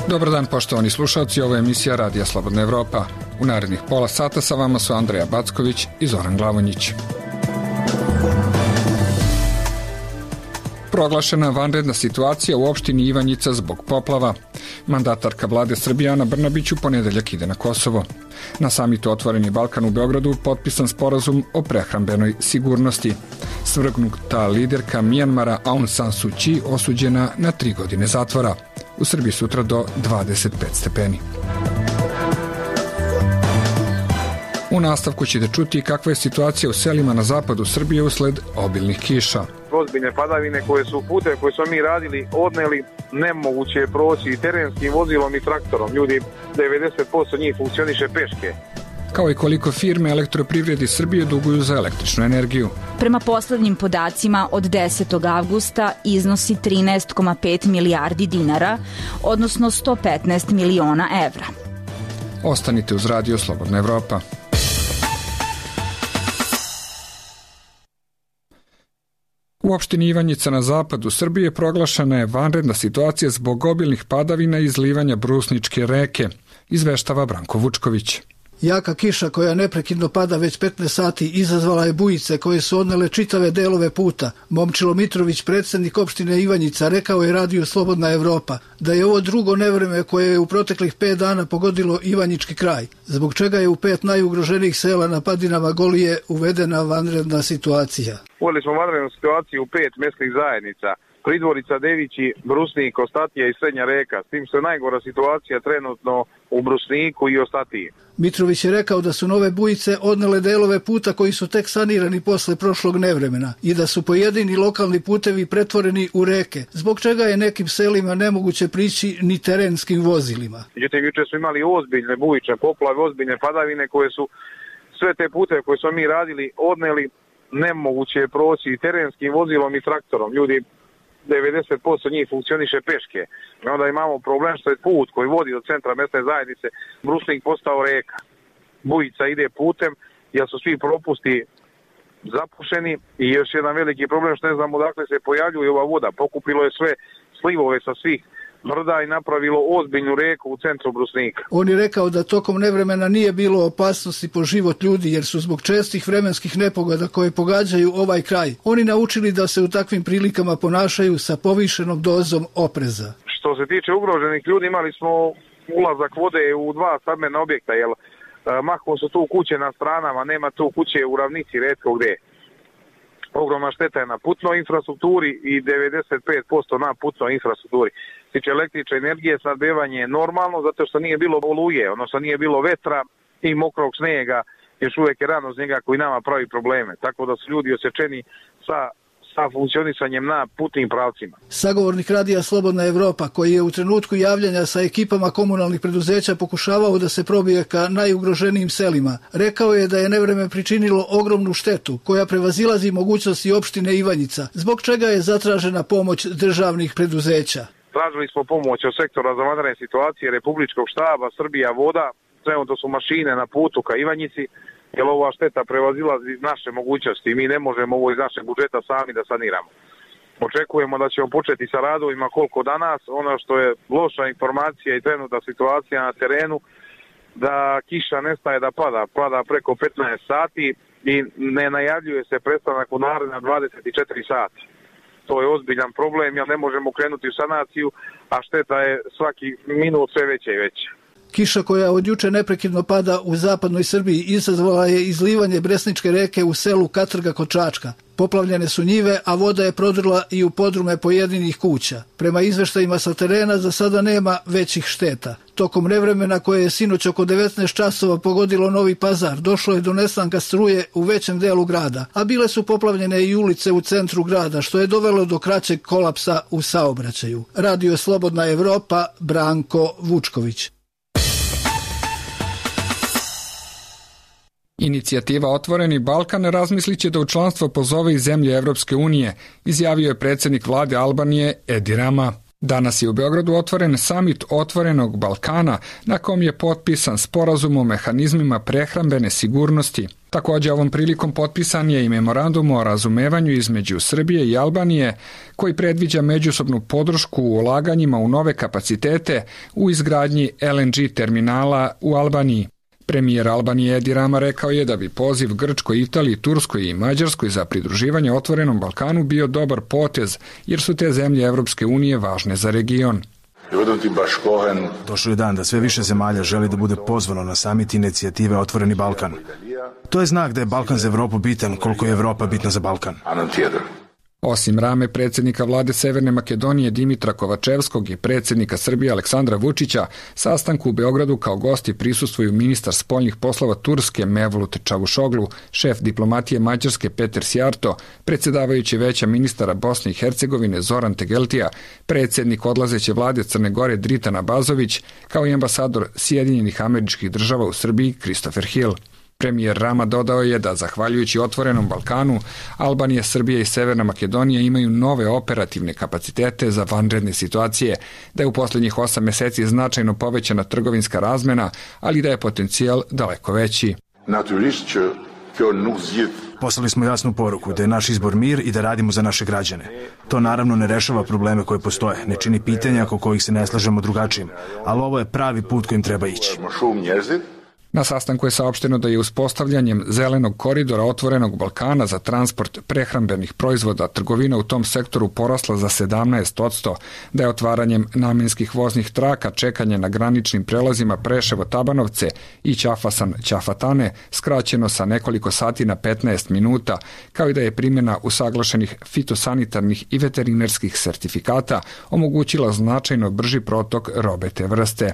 Dobar dan, poštovani slušalci, ovo je emisija Radija Slobodna Evropa. U narednih pola sata sa vama su Andreja Backović i Zoran Glavonjić. Proglašena vanredna situacija u opštini Ivanjica zbog poplava. Mandatarka vlade Srbije Ana Brnabić u ponedeljak ide na Kosovo. Na samitu Otvoreni Balkan u Beogradu potpisan sporazum o prehrambenoj sigurnosti. Svrgnuta liderka Mijanmara Aung San Suu Kyi osuđena na 3 godine zatvora. U Srbiji sutra do 25 stepeni. U nastavku ćete čuti kakva je situacija u selima na zapadu Srbije usled obilnih kiša. Ozbiljne padavine koje su pute koje smo mi radili odneli, nemoguće je proći i terenskim vozilom i traktorom. Ljudi, 90% njih funkcioniše peške. Kao i koliko firme Elektroprivredi Srbije duguju za električnu energiju. Prema poslednjim podacima od 10. avgusta iznosi 13,5 milijardi dinara, odnosno 115 miliona evra. Ostanite uz Radio Slobodna Evropa. U opštini Ivanjica na zapadu Srbije proglašena je vanredna situacija zbog obilnih padavina i izlivanja Brusničke reke, izveštava Branko Vučković. Jaka kiša koja neprekidno pada već 15 sati izazvala je bujice koje su odnele čitave delove puta. Momčilo Mitrović, predsjednik opštine Ivanjica, rekao je Radiju Slobodna Evropa da je ovo drugo nevreme koje je u proteklih 5 dana pogodilo Ivanjički kraj, zbog čega je u 5 najugroženijih sela na padinama Golije uvedena vanredna situacija. Uveli smo vanrednu situaciju u 5 mjesnih zajednica. Pridvorica, Devići, Brusnik, Ostatija i Srednja reka, s tim što je najgora situacija trenutno u Brusniku i Ostatiji. Mitrović je rekao da su nove bujice odnele delove puta koji su tek sanirani posle prošlog nevremena i da su pojedini lokalni putevi pretvoreni u reke, zbog čega je nekim selima nemoguće prići ni terenskim vozilima. Međutim, juče smo imali ozbiljne bujične poplave, ozbiljne padavine koje su sve te puteve koje smo mi radili odneli, nemoguće je proći i terenskim vozilom i traktorom. Ljudi, 90% njih funkcioniše peške. Onda imamo problem što je put koji vodi do centra mjesne zajednice Brusnik postao reka. Bujica ide putem jer su svi propusti zapušeni i još jedan veliki problem što ne znamo odakle se pojavljuje ova voda. Pokupilo je sve slivove sa svih brda i napravilo ozbiljnu reku u centru Brusnika. On je rekao da tokom nevremena nije bilo opasnosti po život ljudi jer su zbog čestih vremenskih nepogoda koje pogađaju ovaj kraj oni naučili da se u takvim prilikama ponašaju sa povišenom dozom opreza. Što se tiče ugroženih ljudi, imali smo ulazak vode u 2 stambena objekta, jer mahom su tu kuće na stranama, nema tu kuće u ravnici retko gdje. Ogromna šteta je na putnoj infrastrukturi i 95% na putnoj infrastrukturi. Tiče električne energije, snabdevanje je normalno zato što nije bilo oluje, odnosno nije bilo vetra i mokrog snijega, još uvijek je rano s njega koji nama pravi probleme. Tako da su ljudi osjećeni sa funkcionisanjem na putnim pravcima. Sagovornik Radija Slobodna Evropa, koji je u trenutku javljanja sa ekipama komunalnih preduzeća pokušavao da se probije ka najugroženijim selima, rekao je da je nevreme pričinilo ogromnu štetu koja prevazilazi mogućnosti opštine Ivanjica, zbog čega je zatražena pomoć državnih preduzeća. Tražili smo pomoć od sektora za vanredne situacije, Republičkog štaba, Srbija voda, trenutno su mašine na putu ka Ivanjici, jer ova šteta prevazilazi naše mogućnosti i mi ne možemo ovo iz našeg budžeta sami da saniramo. Očekujemo da ćemo početi sa radovima koliko danas. Ono što je loša informacija i trenutna situacija na terenu, da kiša nestaje da pada preko 15 sati i ne najavljuje se prestanak u naredna 24 sata. To je ozbiljan problem, jer ne možemo krenuti u sanaciju, a šteta je svaki minut sve veća i veća. Kiša koja od juče neprekidno pada u zapadnoj Srbiji izazvala je izlivanje Bresničke reke u selu Katrga kod Čačka. Poplavljene su njive, a voda je prodrla i u podrume pojedinih kuća. Prema izveštajima sa terena za sada nema većih šteta. Tokom nevremena koje je sinoć oko 19 časova pogodilo Novi Pazar, došlo je do nestanka struje u većem delu grada, a bile su poplavljene i ulice u centru grada, što je dovelo do kraćeg kolapsa u saobraćaju. Radio Slobodna Evropa, Branko Vučković. Inicijativa Otvoreni Balkan razmislit će da u članstvo pozove i zemlje Evropske unije, izjavio je predsjednik vlade Albanije Edi Rama. Danas je u Beogradu otvoren samit Otvorenog Balkana, na kom je potpisan sporazum o mehanizmima prehrambene sigurnosti. Također ovom prilikom potpisan je i memorandum o razumevanju između Srbije i Albanije koji predviđa međusobnu podršku u ulaganjima u nove kapacitete u izgradnji LNG terminala u Albaniji. Premijer Albanije Edi Rama rekao je da bi poziv Grčkoj, Italiji, Turskoj i Mađarskoj za pridruživanje Otvorenom Balkanu bio dobar potez jer su te zemlje Evropske unije važne za region. Došao je dan da sve više zemalja želi da bude pozvano na samit inicijative Otvoreni Balkan. To je znak da je Balkan za Evropu bitan koliko je Evropa bitna za Balkan. Osim Rame, predsjednika vlade Severne Makedonije Dimitra Kovačevskog i predsjednika Srbije Aleksandra Vučića, sastanku u Beogradu kao gosti prisustvuju ministar spoljnih poslova Turske Mevlut Čavušoglu, šef diplomatije Mađarske Peter Sjarto, predsjedavajući veća ministara Bosne i Hercegovine Zoran Tegeltija, predsjednik odlazeće vlade Crne Gore Dritan Abazović, kao i ambasador Sjedinjenih Američkih Država u Srbiji Christopher Hill. Premijer Rama dodao je da, zahvaljujući Otvorenom Balkanu, Albanija, Srbija i Severna Makedonija imaju nove operativne kapacitete za vanredne situacije, da je u posljednjih 8 mjeseci značajno povećana trgovinska razmena, ali da je potencijal daleko veći. Poslali smo jasnu poruku da je naš izbor mir i da radimo za naše građane. To naravno ne rešava probleme koje postoje, ne čini pitanja oko kojih se ne slažemo drugačijim, ali ovo je pravi put kojim treba ići. Na sastanku je saopšteno da je uspostavljanjem zelenog koridora Otvorenog Balkana za transport prehrambenih proizvoda trgovina u tom sektoru porasla za 17%, da je otvaranjem namenskih voznih traka čekanje na graničnim prelazima Preševo-Tabanovce i Ćafasan-Ćafatane skraćeno sa nekoliko sati na 15 minuta, kao i da je primjena usaglašenih fitosanitarnih i veterinarskih sertifikata omogućila značajno brži protok robe te vrste.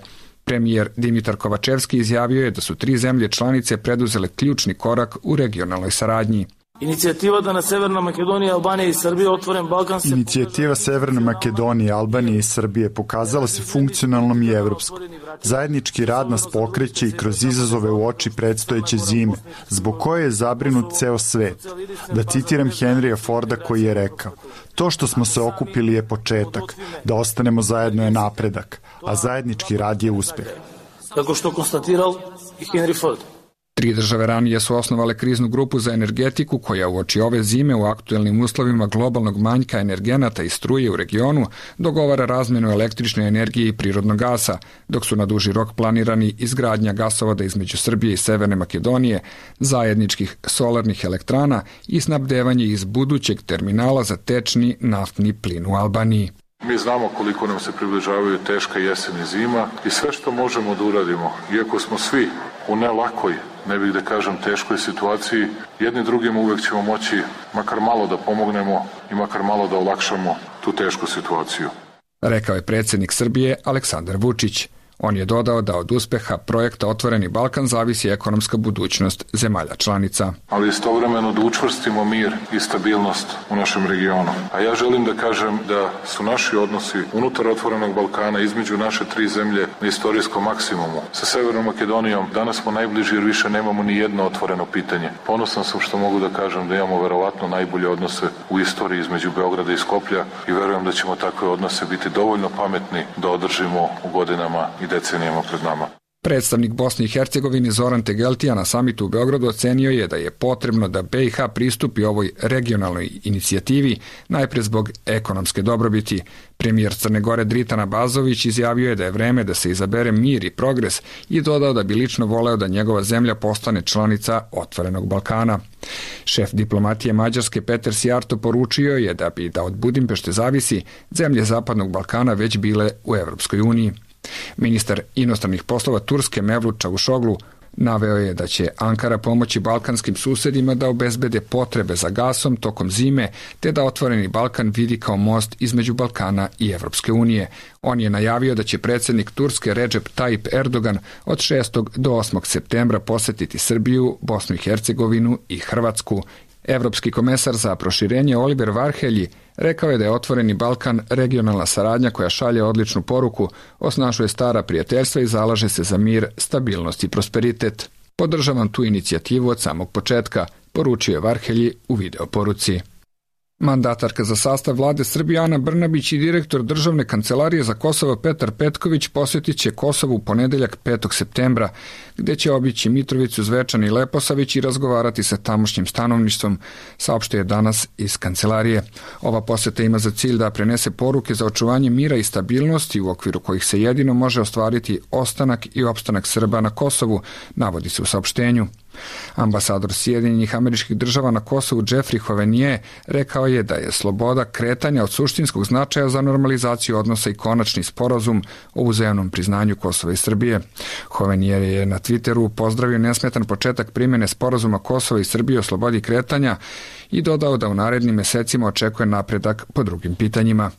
Premijer Dimitar Kovačevski izjavio je da su 3 zemlje članice preduzele ključni korak u regionalnoj saradnji. Inicijativa da na Severna Makedonija, Albanija i Srbije otvoren Balkan se... Inicijativa Severne Makedonije, Albanije i Srbije pokazala se funkcionalnom i evropskom. Zajednički rad nas pokreće i kroz izazove u oči predstojeće zime, zbog koje je zabrinut ceo svet. Da citiram Henrya Forda koji je rekao: to što smo se okupili je početak, da ostanemo zajedno je napredak, a zajednički rad je uspeh. Kako što konstatirao i Henry Ford. 3 države ranije su osnovale kriznu grupu za energetiku koja uoči ove zime u aktuelnim uslovima globalnog manjka energenata i struje u regionu dogovara razmjenu električne energije i prirodnog gasa, dok su na duži rok planirani izgradnja gasovoda između Srbije i Severne Makedonije, zajedničkih solarnih elektrana i snabdevanje iz budućeg terminala za tečni naftni plin u Albaniji. Mi znamo koliko nam se približavaju teška jesen i zima i sve što možemo da uradimo, iako smo svi u ne lakoj, ne bih da kažem teškoj situaciji, jedni drugim uvek ćemo moći makar malo da pomognemo i makar malo da olakšamo tu tešku situaciju. Rekao je predsjednik Srbije Aleksandar Vučić. On je dodao da od uspeha projekta Otvoreni Balkan zavisi ekonomska budućnost zemalja članica. Ali istovremeno da učvrstimo mir i stabilnost u našem regionu. A ja želim da kažem da su naši odnosi unutar Otvorenog Balkana između naše 3 zemlje na istorijskom maksimumu. Sa Severnom Makedonijom danas smo najbliži jer više nemamo ni jedno otvoreno pitanje. Ponosan sam što mogu da kažem da imamo verovatno najbolje odnose u istoriji između Beograda i Skoplja i verujem da ćemo takve odnose biti dovoljno pametni da održimo u godinama i decenijama pred nama. Predstavnik Bosne i Hercegovine Zoran Tegeltija na samitu u Beogradu ocenio je da je potrebno da BiH pristupi ovoj regionalnoj inicijativi najpre zbog ekonomske dobrobiti. Premijer Crne Gore Dritan Abazović izjavio je da je vreme da se izabere mir i progres i dodao da bi lično voleo da njegova zemlja postane članica Otvorenog Balkana. Šef diplomatije Mađarske Peter Sjarto poručio je da bi, da od Budimpešte zavisi, zemlje Zapadnog Balkana već bile u Evropskoj uniji. Ministar inostranih poslova Turske Mevlut Čavušoglu naveo je da će Ankara pomoći balkanskim susedima da obezbede potrebe za gasom tokom zime, te da Otvoreni Balkan vidi kao most između Balkana i Evropske unije. On je najavio da će predsjednik Turske Recep Tayyip Erdogan od 6. do 8. septembra posetiti Srbiju, Bosnu i Hercegovinu i Hrvatsku. Evropski komesar za proširenje Oliver Varhelji rekao je da je Otvoreni Balkan regionalna saradnja koja šalje odličnu poruku, osnažuje stara prijateljstva i zalaže se za mir, stabilnost i prosperitet. Podržavam tu inicijativu od samog početka, poručio je Varhelji u videoporuci. Mandatarka za sastav vlade Srbije Ana Brnabić i direktor Državne kancelarije za Kosovo Petar Petković posjetit će Kosovo u ponedeljak 5. septembra, gde će obići Mitrovicu, Zvečan i Leposavić i razgovarati sa tamošnjim stanovništvom, saopštio je danas iz kancelarije. Ova posjeta ima za cilj da prenese poruke za očuvanje mira i stabilnosti u okviru kojih se jedino može ostvariti ostanak i opstanak Srba na Kosovu, navodi se u saopštenju. Ambasador Sjedinjenih Američkih Država na Kosovu Jeffrey Hovenier rekao je da je sloboda kretanja od suštinskog značaja za normalizaciju odnosa i konačni sporazum o uzajamnom priznanju Kosova i Srbije. Hovenier je na Twitteru pozdravio nesmetan početak primjene sporazuma Kosova i Srbije o slobodi kretanja i dodao da u narednim mesecima očekuje napredak po drugim pitanjima.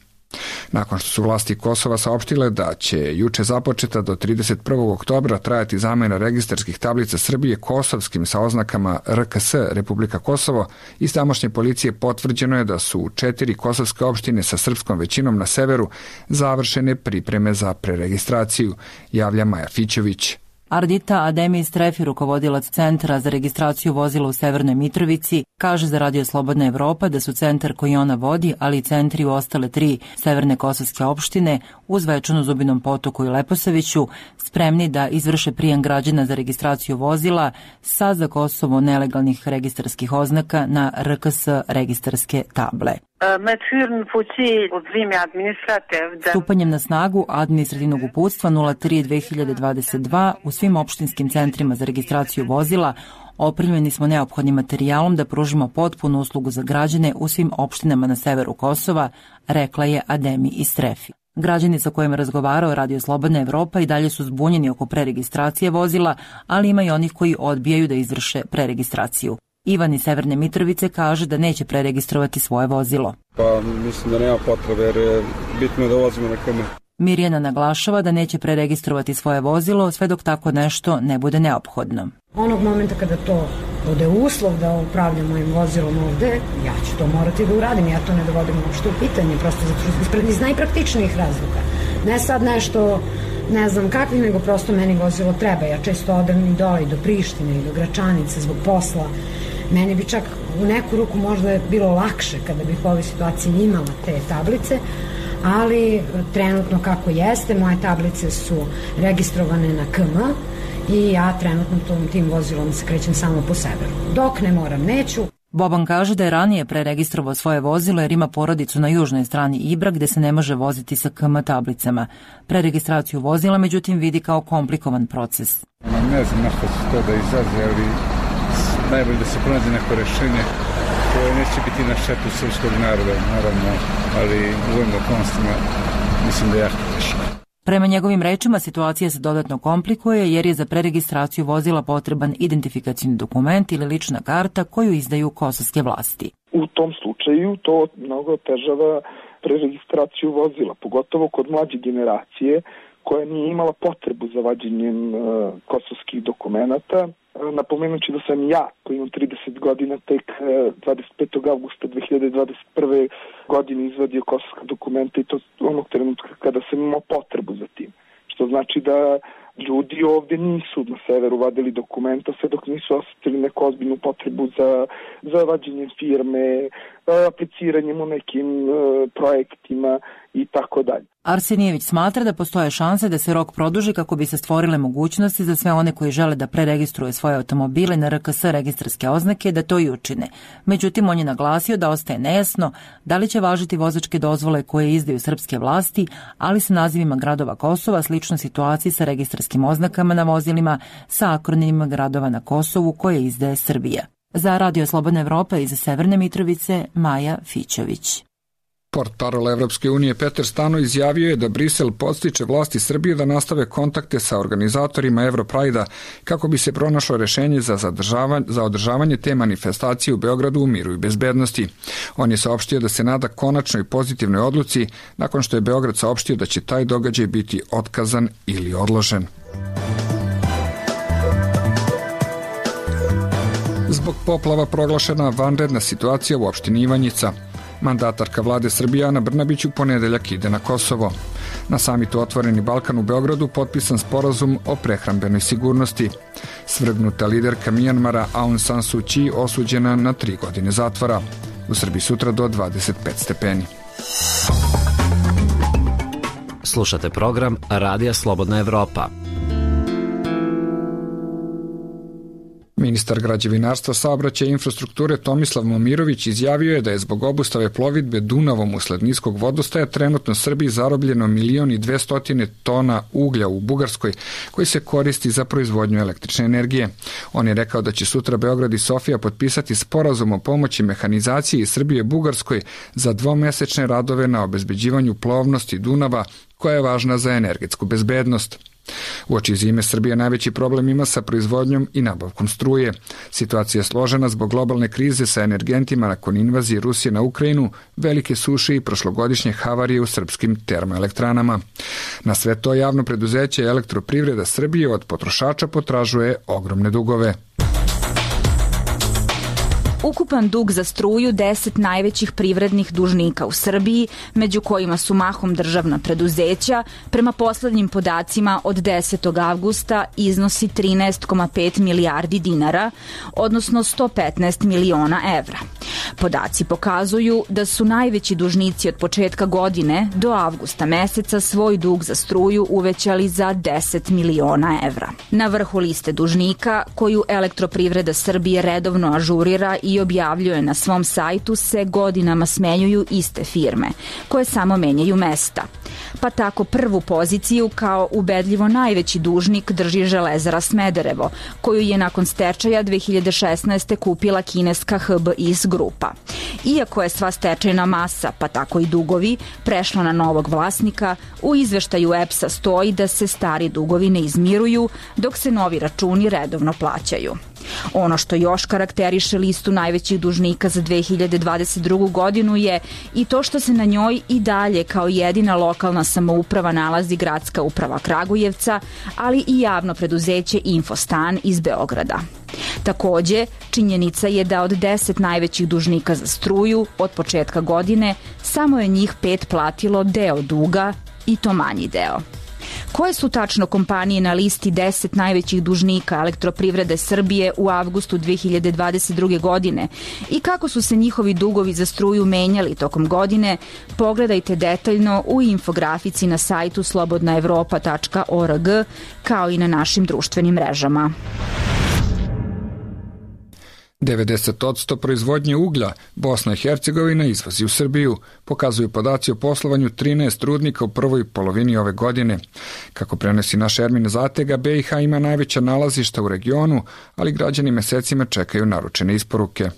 Nakon što su vlasti Kosova saopštile da će juče započeta do 31. oktobra trajati zamena registarskih tablica Srbije kosovskim sa oznakama RKS Republika Kosovo, iz tamošnje policije potvrđeno je da su 4 kosovske opštine sa srpskom većinom na severu završene pripreme za preregistraciju, javlja Maja Fićević. Ardita Ademi Strefi, rukovodilac Centra za registraciju vozila u Severnoj Mitrovici, kaže za Radio Slobodna Evropa da su centar koji ona vodi, ali i centri u ostale 3 severne kosovske opštine, uz Zvečanu, Zubinom Potoku i Leposaviću, spremni da izvrše prijem građana za registraciju vozila sa za Kosovo nelegalnih registarskih oznaka na RKS registarske table. Stupanjem na snagu administrativnog uputstva 03/2022 u svim opštinskim centrima za registraciju vozila opremljeni smo neophodnim materijalom da pružimo potpunu uslugu za građane u svim opštinama na severu Kosova, rekla je Ademi Istrefi. Građani sa kojima razgovarao Radio Slobodna Evropa i dalje su zbunjeni oko preregistracije vozila, ali ima i onih koji odbijaju da izvrše preregistraciju. Ivan iz Severne Mitrovice kaže da neće preregistrovati svoje vozilo. Pa mislim da nema potrebe jer je bitno da vozimo na KM. Mirjana naglašava da neće preregistrovati svoje vozilo sve dok tako nešto ne bude neophodno. Onog momenta kada to bude uslov da upravljam mojim vozilom ovde, ja ću to morati da uradim. Ja to ne dovodim uopšte u pitanje, prosto iz najpraktičnijih razloga. Ne sad nešto, ne znam kakvih, nego prosto meni vozilo treba. Ja često odem i dole i do Prištine i do Gračanice zbog posla. Meni bi čak u neku ruku možda bilo lakše kada bih u ovoj situaciji imala te tablice, ali trenutno kako jeste, moje tablice su registrovane na KM i ja trenutno tim vozilom se krećem samo po severu. Dok ne moram, neću. Boban kaže da je ranije preregistrovao svoje vozilo jer ima porodicu na južnoj strani Ibra gde se ne može voziti sa KM tablicama. Preregistraciju vozila međutim vidi kao komplikovan proces. Ne znam na što se to da izaze, ali najbolje da se pronađe neko rešenje koje neće biti na štetu srpskog naroda, naravno, ali u ovim okolnostima mislim da je jako teško. Prema njegovim rečima, situacija se dodatno komplikuje jer je za preregistraciju vozila potreban identifikacioni dokument ili lična karta koju izdaju kosovske vlasti. U tom slučaju to mnogo otežava preregistraciju vozila, pogotovo kod mlađe generacije koja nije imala potrebu za vađenjem kosovskih dokumenata. Napomenući da sam ja, koji imam 30 godina, tek 25. avgusta 2021. godine izvadio kosovska dokumenta i to onog trenutka kada sam imao potrebu za tim. Što znači da ljudi ovde nisu na severu vadili dokumenta sve dok nisu osetili neku ozbiljnu potrebu za vađenjem firme, apliciranjem u nekim projektima i tako dalje. Arsenijević smatra da postoje šanse da se rok produži kako bi se stvorile mogućnosti za sve one koji žele da preregistruju svoje automobile na RKS registarske oznake da to i učine. Međutim, on je naglasio da ostaje nejasno da li će važiti vozačke dozvole koje izdaju srpske vlasti, ali sa nazivima gradova Kosova, slično situaciji sa registarskim oznakama na vozilima sa akronimima gradova na Kosovu koje izdaje Srbija. Za Radio Slobodna Evropa iz Severne Mitrovice, Maja Fićević. Portparol Evropske unije Peter Stano izjavio je da Brisel podstiče vlasti Srbije da nastave kontakte sa organizatorima Europrajda kako bi se pronašlo rešenje za održavanje te manifestacije u Beogradu u miru i bezbednosti. On je saopštio da se nada konačnoj pozitivnoj odluci nakon što je Beograd saopštio da će taj događaj biti otkazan ili odložen. Zbog poplava proglašena vanredna situacija u opštini Ivanjica. Mandatarka vlade Srbije Ana Brnabić u ponedeljak ide na Kosovo. Na samitu Otvoreni Balkan u Beogradu potpisan sporazum o prehrambenoj sigurnosti. Svrgnuta liderka Mijanmara Aung San Suu Kyi osuđena na 3 godine zatvora. U Srbiji sutra do 25 stepeni. Slušate program Radija Slobodna Evropa. Ministar građevinarstva, saobraćaja i infrastrukture Tomislav Momirović izjavio je da je zbog obustave plovidbe Dunavom usled niskog vodostaja trenutno Srbiji zarobljeno 1.200.000 tona uglja u Bugarskoj koji se koristi za proizvodnju električne energije. On je rekao da će sutra Beograd i Sofija potpisati sporazum o pomoći mehanizaciji Srbije Bugarskoj za dvomesečne radove na obezbeđivanju plovnosti Dunava koja je važna za energetsku bezbednost. Uoči zime Srbija najveći problem ima sa proizvodnjom i nabavkom struje. Situacija je složena zbog globalne krize sa energentima nakon invazije Rusije na Ukrajinu, velike suše i prošlogodišnje havarije u srpskim termoelektranama. Na sve to javno preduzeće Elektroprivreda Srbije od potrošača potražuje ogromne dugove. Ukupan dug za struju 10 najvećih privrednih dužnika u Srbiji, među kojima su mahom državna preduzeća, prema poslednjim podacima od 10. avgusta iznosi 13,5 milijardi dinara, odnosno 115 miliona evra. Podaci pokazuju da su najveći dužnici od početka godine do avgusta meseca svoj dug za struju uvećali za 10 miliona evra. Na vrhu liste dužnika, koju Elektroprivreda Srbije redovno ažurira i objavljuje na svom sajtu, se godinama smenjuju iste firme, koje samo menjaju mesta. Pa tako prvu poziciju kao ubedljivo najveći dužnik drži Železara Smederevo, koju je nakon stečaja 2016. kupila kineska HBIS grupa. Iako je sva stečajna masa, pa tako i dugovi, prešla na novog vlasnika, u izveštaju EPS-a stoji da se stari dugovi ne izmiruju, dok se novi računi redovno plaćaju. Ono što još karakteriše listu najvećih dužnika za 2022. godinu je i to što se na njoj i dalje kao jedina lokalna samouprava nalazi Gradska uprava Kragujevca, ali i javno preduzeće Infostan iz Beograda. Takođe, činjenica je da od 10 najvećih dužnika za struju od početka godine samo je njih 5 platilo deo duga, i to manji deo. Koje su tačno kompanije na listi 10 najvećih dužnika Elektroprivrede Srbije u avgustu 2022. godine i kako su se njihovi dugovi za struju menjali tokom godine, pogledajte detaljno u infografici na sajtu slobodnaevropa.org, kao i na našim društvenim mrežama. 90% proizvodnje uglja Bosna i Hercegovina izvozi u Srbiju, pokazuju podaci o poslovanju 13 rudnika u prvoj polovini ove godine. Kako prenosi naš Ermin Zatega, BiH ima najveća nalazišta u regionu, ali građani mesecima čekaju naručene isporuke.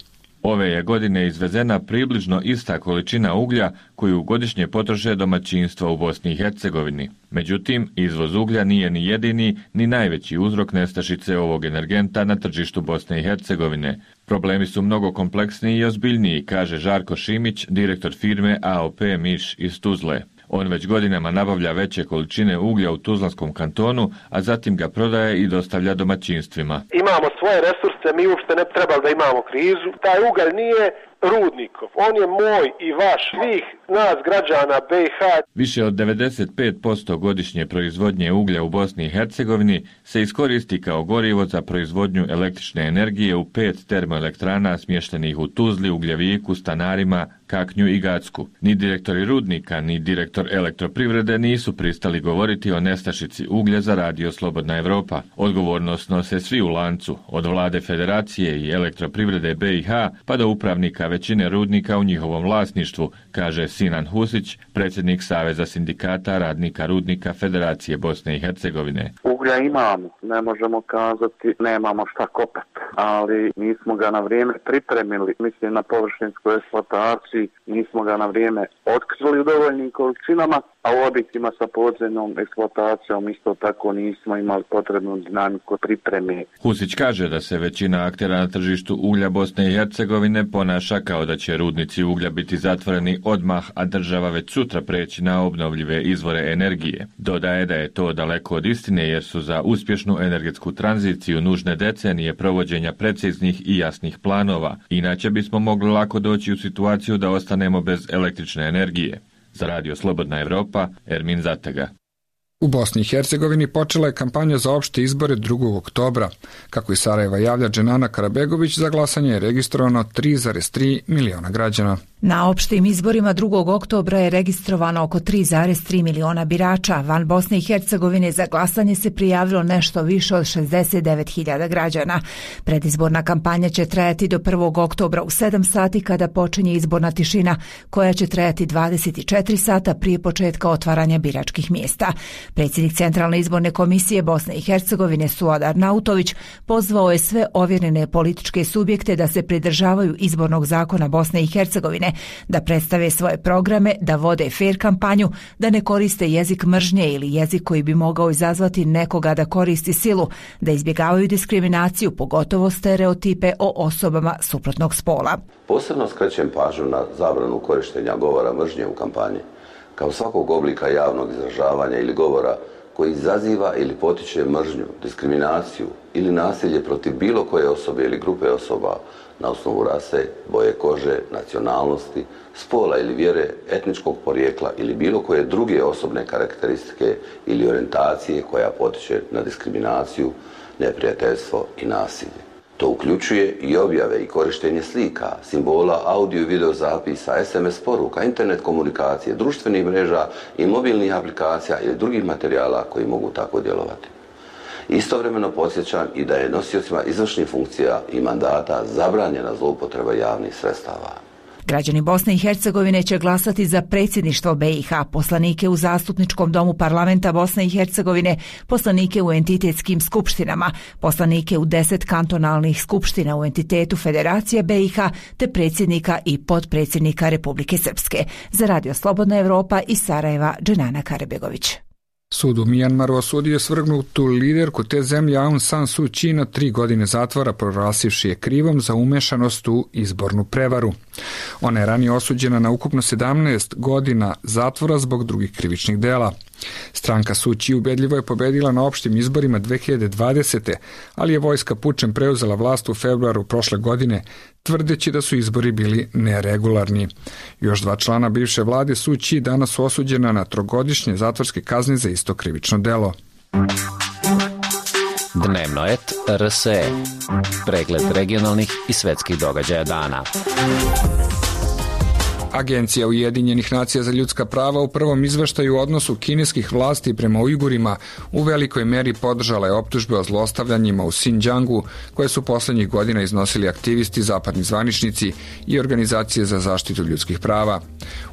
Ove je godine izvezena približno ista količina uglja koju godišnje potroše domaćinstva u Bosni i Hercegovini. Međutim, izvoz uglja nije ni jedini ni najveći uzrok nestašice ovog energenta na tržištu Bosne i Hercegovine. Problemi su mnogo kompleksniji i ozbiljniji, kaže Žarko Šimić, direktor firme AOP Miš iz Tuzle. On već godinama nabavlja veće količine uglja u Tuzlanskom kantonu, a zatim ga prodaje i dostavlja domaćinstvima. Imamo svoje resurse, mi uopšte ne treba da imamo krizu. Taj ugalj nije rudnikov, on je moj i vaš, svih nas građana BiH. Više od 95% godišnje proizvodnje uglja u Bosni i Hercegovini se iskoristi kao gorivo za proizvodnju električne energije u 5 termoelektrana smještenih u Tuzli, Ugljeviku, Stanarima, Kaknju i Gacku. Ni direktori rudnika, ni direktor Elektroprivrede nisu pristali govoriti o nestašici uglja za Radio Slobodna Evropa. Odgovornost nose svi u lancu, od vlade Federacije i Elektroprivrede BiH pa do upravnika većine rudnika u njihovom vlasništvu, kaže Sinan Husić, predsjednik Saveza sindikata radnika rudnika Federacije Bosne i Hercegovine. Uglja imamo, ne možemo kazati nemamo šta kopati, ali nismo ga na vrijeme pripremili, mislim na površinsku eksploataciju, nismo ga na vrijeme otkrili u dovoljnim količinama, a u objektima sa podzemnom eksploatacijom isto tako nismo imali potrebnu dinamiku pripreme. Husić kaže da se većina aktera na tržištu uglja Bosne i Hercegovine ponaša kao da će rudnici uglja biti zatvoreni odmah, a država već sutra preći na obnovljive izvore energije. Dodaje da je to daleko od istine jer su za uspješnu energetsku tranziciju nužne decenije provođenja preciznih i jasnih planova. Inače bismo mogli lako doći u situaciju da ostanemo bez električne energije. Za Radio Slobodna Evropa, Ermin Zatega. U Bosni i Hercegovini počela je kampanja za opšte izbore 2. oktobra. Kako iz Sarajeva javlja Dženana Karabegović, za glasanje je registrovano 3,3 miliona građana. Na opštim izborima 2. oktobra je registrovano oko 3,3 miliona birača. Van Bosne i Hercegovine za glasanje se prijavilo nešto više od 69.000 građana. Predizborna kampanja će trajati do 1. oktobra u 7 sati kada počinje izborna tišina, koja će trajati 24 sata prije početka otvaranja biračkih mjesta. Predsjednik Centralne izborne komisije Bosne i Hercegovine Suad Arnautović pozvao je sve ovjerene političke subjekte da se pridržavaju izbornog zakona Bosne i Hercegovine, da predstave svoje programe, da vode fer kampanju, da ne koriste jezik mržnje ili jezik koji bi mogao izazvati nekoga da koristi silu, da izbjegavaju diskriminaciju, pogotovo stereotipe o osobama suprotnog spola. Posebno skrećem pažnju na zabranu korištenja govora mržnje u kampanji, kao svakog oblika javnog izražavanja ili govora koji izaziva ili potiče mržnju, diskriminaciju ili nasilje protiv bilo koje osobe ili grupe osoba na osnovu rase, boje kože, nacionalnosti, spola ili vjere, etničkog porijekla ili bilo koje druge osobne karakteristike ili orijentacije koja potiče na diskriminaciju, neprijateljstvo i nasilje. To uključuje i objave i korištenje slika, simbola, audio i video zapisa, SMS poruka, internet komunikacije, društvenih mreža i mobilnih aplikacija ili drugih materijala koji mogu tako djelovati. Istovremeno podsjećam i da je nosiocima izvršnih funkcija i mandata zabranjena zloupotreba javnih sredstava. Građani Bosne i Hercegovine će glasati za predsjedništvo BiH, poslanike u Zastupničkom domu parlamenta Bosne i Hercegovine, poslanike u entitetskim skupštinama, poslanike u 10 kantonalnih skupština u entitetu Federacije BiH, te predsjednika i potpredsjednika Republike Srpske. Za Radio Slobodna Evropa iz Sarajeva, Dženana Karabegović. Sud u Mijanmaru osudio je svrgnutu liderku te zemlje Aung San Suu Kyi na 3 godine zatvora, proglasivši je krivom za umešanost u izbornu prevaru. Ona je ranije osuđena na ukupno 17 godina zatvora zbog drugih krivičnih dela. Stranka Suu Kyi ubedljivo je pobedila na opštim izborima 2020. ali je vojska pučem preuzela vlast u februaru prošle godine, tvrdeći da su izbori bili neregularni. Još 2 člana bivše vlade Suu Kyi danas su osuđena na 3-godišnje zatvorske kazne za isto krivično delo. Dnevnoet RSE. Pregled regionalnih i svetskih događaja dana. Agencija Ujedinjenih nacija za ljudska prava u prvom izveštaju u odnosu kineskih vlasti prema Ujgurima u velikoj meri podržala je optužbe o zlostavljanjima u Xinjiangu koje su poslednjih godina iznosili aktivisti, zapadni zvaničnici i organizacije za zaštitu ljudskih prava.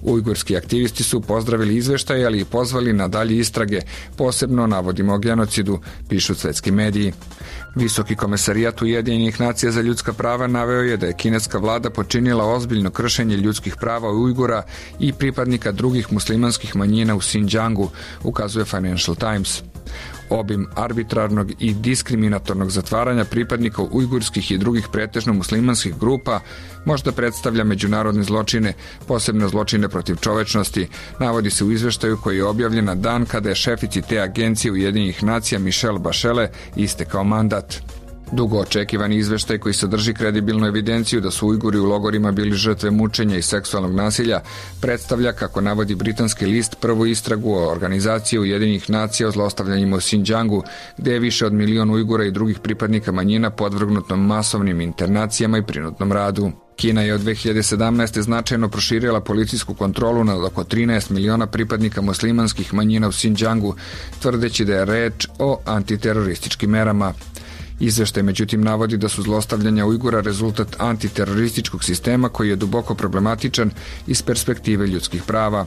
Ujgurski aktivisti su pozdravili izveštaj, ali i pozvali na dalje istrage, posebno navodimo o genocidu, pišu svetski mediji. Visoki komesarijat Ujedinjenih nacija za ljudska prava naveo je da je kineska vlada počinila ozbiljno kršenje ljudskih prava Ujgura i pripadnika drugih muslimanskih manjina u Xinjiangu, ukazuje Financial Times. Obim arbitrarnog i diskriminatornog zatvaranja pripadnika ujgurskih i drugih pretežno muslimanskih grupa možda predstavlja međunarodne zločine, posebno zločine protiv čovečnosti, navodi se u izveštaju koji je objavljen na dan kada je šefici te agencije Ujedinjenih nacija Michelle Bachelet istekao mandat. Dugo očekivani izveštaj koji sadrži kredibilnu evidenciju da su Ujguri u logorima bili žrtve mučenja i seksualnog nasilja predstavlja, kako navodi britanski list, prvu istragu o organizaciji Ujedinjenih nacija o zlostavljanjima u Xinjiangu, gde je više od 1 milion Ujgura i drugih pripadnika manjina podvrgnuto masovnim internacijama i prinudnom radu. Kina je od 2017. značajno proširila policijsku kontrolu nad oko 13 miliona pripadnika muslimanskih manjina u Xinjiangu, tvrdeći da je reč o antiterorističkim merama. Izveštaj međutim navodi da su zlostavljanja Ujgura rezultat antiterorističkog sistema koji je duboko problematičan iz perspektive ljudskih prava.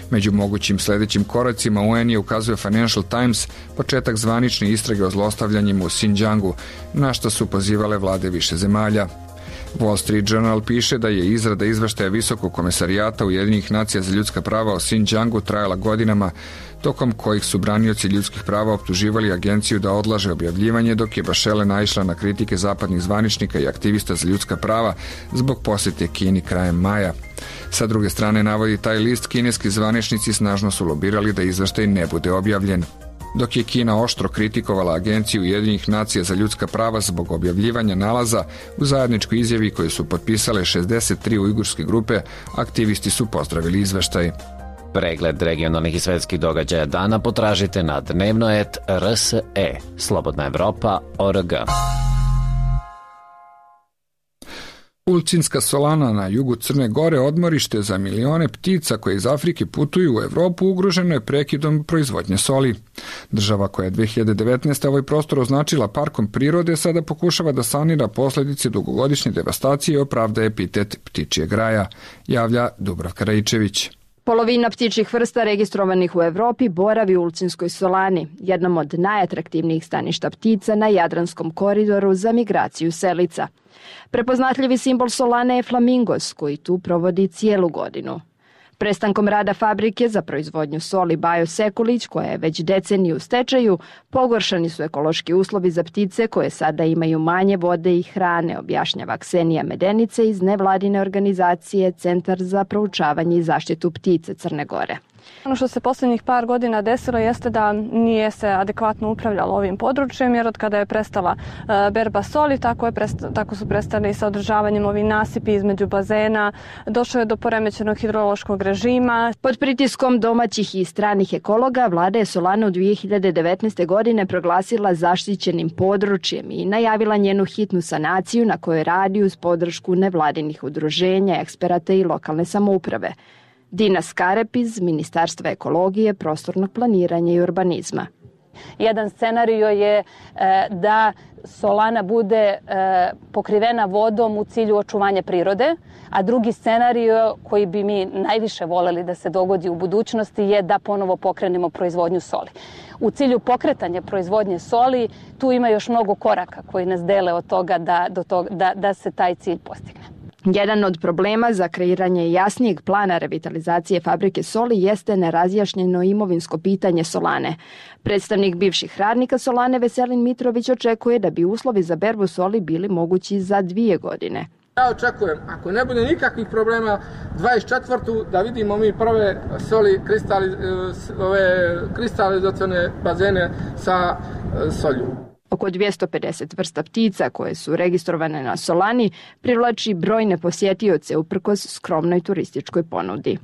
Među mogućim sledećim koracima UN je, ukazuje Financial Times, početak zvanične istrage o zlostavljanjima u Xinjiangu, na što su pozivale vlade više zemalja. Wall Street Journal piše da je izrada izveštaja Visokog komesarijata Ujedinjenih nacija za ljudska prava o Xinjiangu trajala godinama, tokom kojih su branioci ljudskih prava optuživali agenciju da odlaže objavljivanje, dok je Bachelet naišla na kritike zapadnih zvaničnika i aktivista za ljudska prava zbog posjete Kini krajem maja. Sa druge strane, navodi taj list, kineski zvaničnici snažno su lobirali da izveštaj ne bude objavljen. Dok je Kina oštro kritikovala agenciju Ujedinjenih nacija za ljudska prava zbog objavljivanja nalaza, u zajedničkoj izjavi koju su potpisale 63 ujgurske grupe, aktivisti su pozdravili izveštaj. Pregled regionalnih i svetskih događaja dana potražite na dnevnoet.rse, slobodnaevropa.org. Ulcinska solana na jugu Crne Gore, odmorište za milione ptica koje iz Afrike putuju u Evropu, ugroženo je prekidom proizvodnje soli. Država koja je 2019. ovaj prostor označila parkom prirode sada pokušava da sanira posledice dugogodišnje devastacije i opravda epitet ptičijeg raja, javlja Dubravka Rajičević. Polovina ptičjih vrsta registrovanih u Evropi boravi u Ulcinskoj solani, jednom od najatraktivnijih staništa ptica na Jadranskom koridoru za migraciju selica. Prepoznatljivi simbol solane je flamingos, koji tu provodi cijelu godinu. Prestankom rada fabrike za proizvodnju soli Bajo Sekulić, koja je već deceniju u stečaju, pogoršani su ekološki uslovi za ptice koje sada imaju manje vode i hrane, objašnjava Ksenija Medenice iz nevladine organizacije Centar za proučavanje i zaštitu ptice Crne Gore. Ono što se posljednjih par godina desilo jeste da nije se adekvatno upravljalo ovim područjem, jer od kada je prestala berba soli, tako su prestali sa održavanjem ovih nasipi između bazena, došlo je do poremećenog hidrološkog režima. Pod pritiskom domaćih i stranih ekologa, vlada je solanu 2019. godine proglasila zaštićenim područjem i najavila njenu hitnu sanaciju na kojoj radi uz podršku nevladinih udruženja, eksperata i lokalne samouprave. Dina Skarep iz Ministarstva ekologije, prostornog planiranja i urbanizma. Jedan scenario je da solana bude pokrivena vodom u cilju očuvanja prirode, a drugi scenario koji bi mi najviše voleli da se dogodi u budućnosti je da ponovo pokrenemo proizvodnju soli. U cilju pokretanja proizvodnje soli tu ima još mnogo koraka koji nas dele od toga da se taj cilj postigne. Jedan od problema za kreiranje jasnijeg plana revitalizacije fabrike soli jeste nerazjašnjeno imovinsko pitanje solane. Predstavnik bivših radnika solane Veselin Mitrović očekuje da bi uslovi za berbu soli bili mogući za 2 godine. Ja očekujem, ako ne bude nikakvih problema, 24. da vidimo mi prve soli, kristalizacione bazene sa solju. Oko 250 vrsta ptica koje su registrovane na solani privlači brojne posjetioce uprkos skromnoj turističkoj ponudi.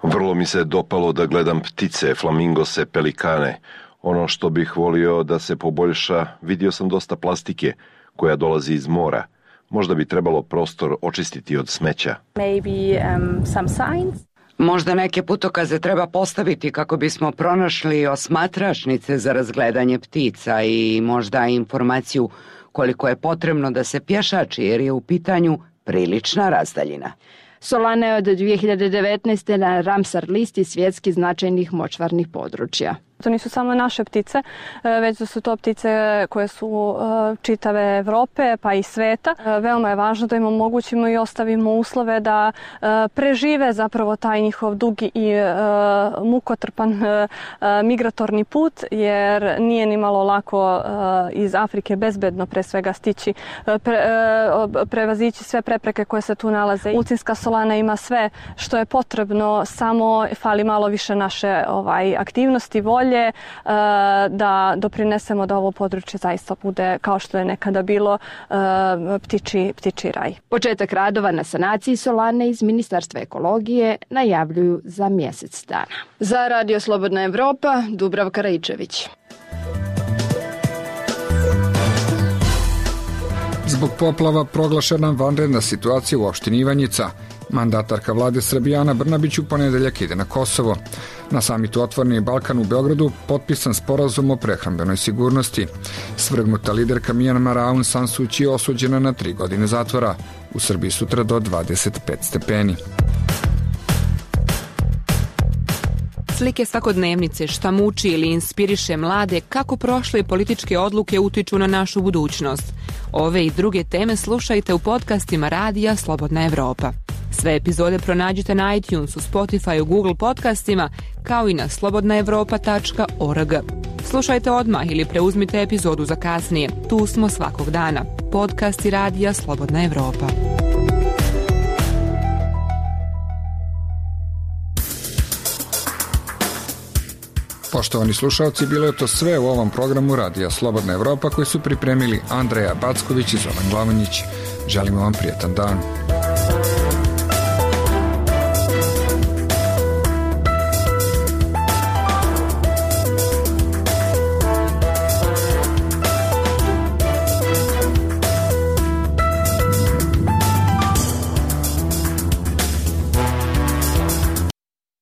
Vrlo mi se dopalo da gledam ptice, flamingose, pelikane. Ono što bih volio da se poboljša, vidio sam dosta plastike koja dolazi iz mora. Možda bi trebalo prostor očistiti od smeća. Možda neke putokaze treba postaviti kako bismo pronašli osmatračnice za razgledanje ptica i možda informaciju koliko je potrebno da se pješači, jer je u pitanju prilična razdaljina. Solana je od 2019. na Ramsar listi svjetski značajnih močvarnih područja. To nisu samo naše ptice, već da su to ptice koje su čitave Evrope pa i sveta. Veoma je važno da im omogućimo i ostavimo uslove da prežive zapravo taj njihov dugi i mukotrpan migratorni put, jer nije ni malo lako iz Afrike bezbedno pre svega stići, prevazići sve prepreke koje se tu nalaze. Ulcinska solana ima sve što je potrebno, samo fali malo više naše aktivnosti, volje, da doprinesemo da ovo područje zaista bude, kao što je nekada bilo, ptičji raj. Početak radova na sanaciji solane iz Ministarstva ekologije najavljuju za mjesec dana. Za Radio Slobodna Evropa, Dubravka Rajičević. Zbog poplava proglašena vanredna situacija u opštini Ivanjica. Mandatarka vlade Srbije Ana Brnabić u ponedeljak ide na Kosovo. Na samitu Otvoreni Balkan u Beogradu potpisan sporazum o prehrambenoj sigurnosti. Svrgnuta liderka Mijanmara Aung San Suu Kyi je osuđena na 3 godine zatvora. U Srbiji sutra do 25 stepeni. Slike svakodnevnice, šta muči ili inspiriše mlade, kako prošle političke odluke utiču na našu budućnost. Ove i druge teme slušajte u podcastima Radija Slobodna Evropa. Sve epizode pronađite na iTunesu, Spotify, Google podcastima, kao i na slobodnaevropa.org. Slušajte odmah ili preuzmite epizodu za kasnije. Tu smo svakog dana. Podcasti Radija Slobodna Evropa. Poštovani slušalci, bilo je to sve u ovom programu Radija Slobodna Evropa koji su pripremili Andreja Backović i Zoran Glavonjić. Želimo vam prijetan dan.